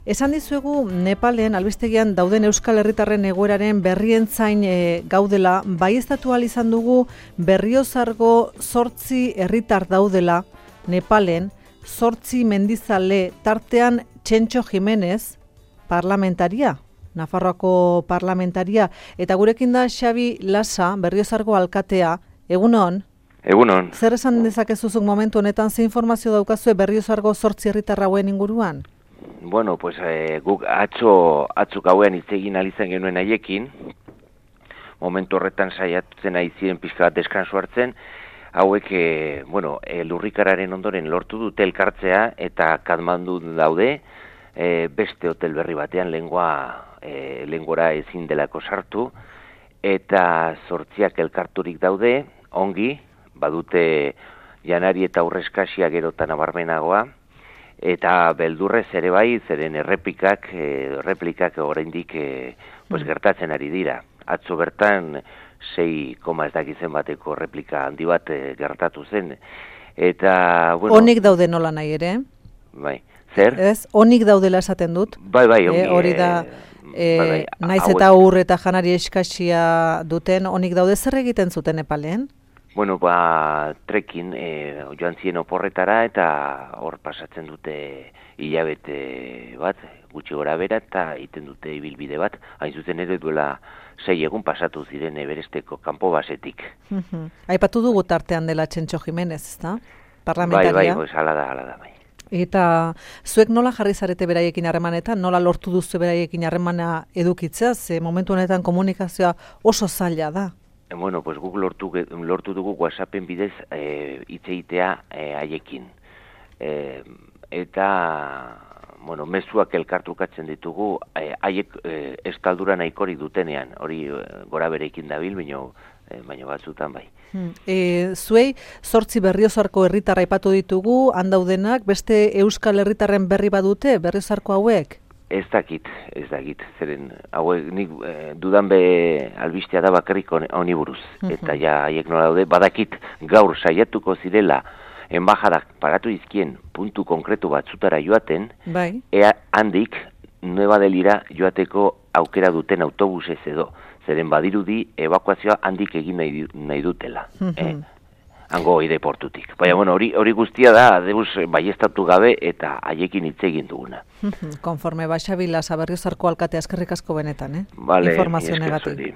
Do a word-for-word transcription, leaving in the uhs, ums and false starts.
Esan dizuegu Nepalen albistegian dauden Euskal Herritarren egoeraren berrien zain e, gaudela, baieztatu ahal izan dugu Berriozargo zortzi herritar daudela Nepalen, zortzi mendizale tartean Txentxo Jimenez, parlamentaria, Nafarroako parlamentaria, eta gurekin da Xabi Lasa, Berriozargo alkatea. Egunon? Egunon. Zer esan dezakezuzuk momentu honetan, ze informazio daukazue Berriozargo zortzi herritar hauen inguruan? Bueno, pues eh, guk atzo, atzuk hauean hitz egin alizan genuen haiekin, momentu horretan saiatzen ari ziren pixka bat deskansu hartzen, hauek, e, bueno, e, lurrikararen ondoren lortu dute elkartzea eta Katmandu daude, e, beste hotel berri batean lengua, e, lengora ezin delako sartu, eta zortziak elkarturik daude, ongi, badute janari eta urreskasia gerotan nabarmenagoa, eta beldurrez ere bai, zeren errepikak, e, replikak oraindik e, pues, gertatzen ari dira. Atzo bertan sei koma ez dakizen bateko replika handi bat e, gertatu zen. Eta, bueno... Onik daude nola nahi ere? Bai, zer? Ez, onik daudela esaten dut. Bai, bai, ongi. E, hori da, e, bai, bai, naiz eta ur eta janari eskasia duten, onik daude zer egiten zuten Nepalen? Bueno, ba, trekin e, joan ziren oporretara eta hor pasatzen dute hilabete bat, gutxi gora bera, eta egiten dute ibilbide bat, hain zuzen ere duela sei egun pasatu ziren Everesteko kanpo basetik. Uh-huh. Aipatu dugu tartean dela Txentxo Jimenez, ezta? Parlamentaria. Bai, bai, pues, ala da, ala da, bai. Eta zuek nola jarri zarete beraiekin harremanetan, nola lortu duzu beraiekin harremana edukitzea, ze momentu honetan komunikazioa oso zaila da? Bueno, pues guk lortu, lortu dugu WhatsAppen bidez e, hitz egitea e, haiekin. E, eta, bueno, mezuak elkartrukatzen ditugu, e, haiek e, eskaldura nahikori dutenean, hori e, gora berekin dabil, baino, e, baino batzutan bai. Hmm. E, zuei, zortzi Berriozarko herritarra aipatu ditugu, handaudenak, beste Euskal Herritarren berri badute, Berriozarko hauek? Ez dakit, ez dakit, zeren, hauek nik e, dudan be albistea da bakarrik honi buruz, eta ja haiek nola daude, badakit gaur saiatuko zirela enbajadak paratu izkien puntu konkretu batzutara joaten, bai. Ea handik Nueva Delira joateko aukera duten autobusez edo, zeren badirudi evakuazioa handik egin nahi, nahi dutela. eh? Hango aireportutik. Baina, bueno, hori hori guztia da, deus baiestatu gabe eta haiekin hitz egin duguna. Konforme ba, Xabi Lasa, Berriozarko alkatea, eskerrik asko benetan, eh? Vale, informazio negatik.